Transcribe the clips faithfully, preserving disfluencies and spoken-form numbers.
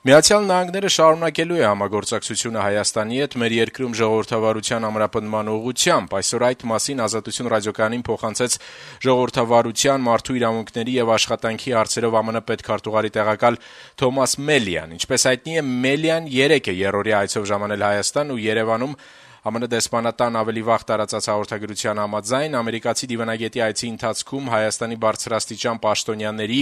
Միացյալ Նահանգները շարունակելու է համագործակցությունը Հայաստանի հետ մեր երկրում ժողովրդավարության ամրապնդման ուղղությամբ: Այսօր այդ մասին «Ազատություն» ռադիոկայանին փոխանցեց ժողովրդավարության, մարդու իրավունքների եւ աշխատանքի հարցերով ԱՄՆ պետքարտուղարի տեղակալ Թոմաս Մելիան: Ինչպես հայտնի է, Մելիան երեկ է եռօրյա այցով ժամանել Հայաստան ու Երեւանում ԱՄՆ դեսպանատան ավելի վաղ տարածած հաղորդագրության համաձայն ամերիկացի դիվանագետի այցի ընթացքում Հայաստանի բարձրաստիճան պաշտոնյաների,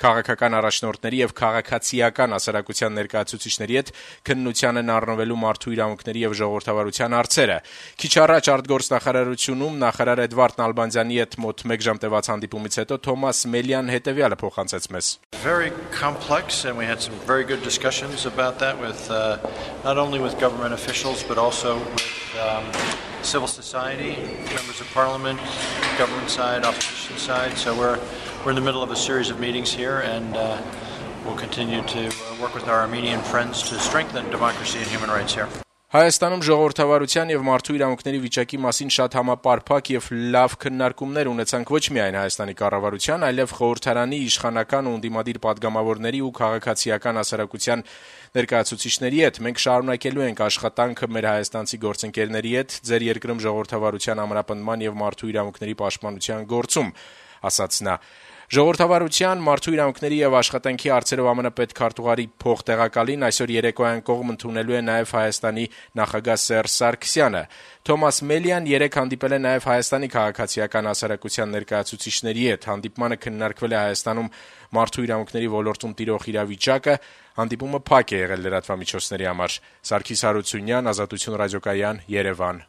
քաղաքական առաջնորդների եւ քաղաքացիական հասարակության ներկայացուցիչների հետ քննության են առնվելու մարդու իրավունքների եւ ժողովրդավարության հարցերը: Քիչ առաջ արտգործնախարարությունում նախարար Էդվարդ Նալբանդյանի հետ մոտ մեկ ժամ տեւած հանդիպումից հետո Թոմաս Մելիան հետեւյալը փոխանցեց մեզ. Very complex, and we had some very good discussions about that with uh, not only with government officials but also with um, civil society, members of parliament, government side, opposition side. So we're we're in the middle of a series of meetings here, and uh, we'll continue to uh, work with our Armenian friends to strengthen democracy and human rights here. Հայաստանում ժողովրդավարության եւ մարդու իրավունքների վիճակի մասին շատ համապարփակ եւ լավ քննարկումներ ունեցանք ոչ միայն Հայաստանի կառավարության, այլև խորհրդարանի իշխանական ու ընդդիմադիր падգամավորների ու քաղաքացիական հասարակության ներկայացուցիչների հետ: Մենք շարունակելու ենք աշխատանքը մեր հայաստանցի գործընկերների հետ ձեր երկրում ժողովրդավարության ամրապնդման եւ մարդու իրավունքների պաշտպանության գործում, ասաց նա: Ժողովրդավարության, մարդու իրավունքների եւ աշխատանքի հարցերով ԱՄՆ պետքարտուղարի փոխտեղակալին այսօր երեկոյան կողմ ընդունելու է նաեւ Հայաստանի նախագահ Սերժ Սարգսյանը: Թոմաս Մելիան երեկ հանդիպել է նաեւ Հայաստանի քաղաքացիական հասարակության ներկայացուցիչների հետ: Հանդիպմանը քննարկվել է Հայաստանում մարդու իրավունքների ոլորտում տիրող իրավիճակը: Հանդիպումը փակ է եղել լրատվամիջոցների համար: Սարգիս Հարությունյան, Ազատություն ռադիոկայան, Երևան: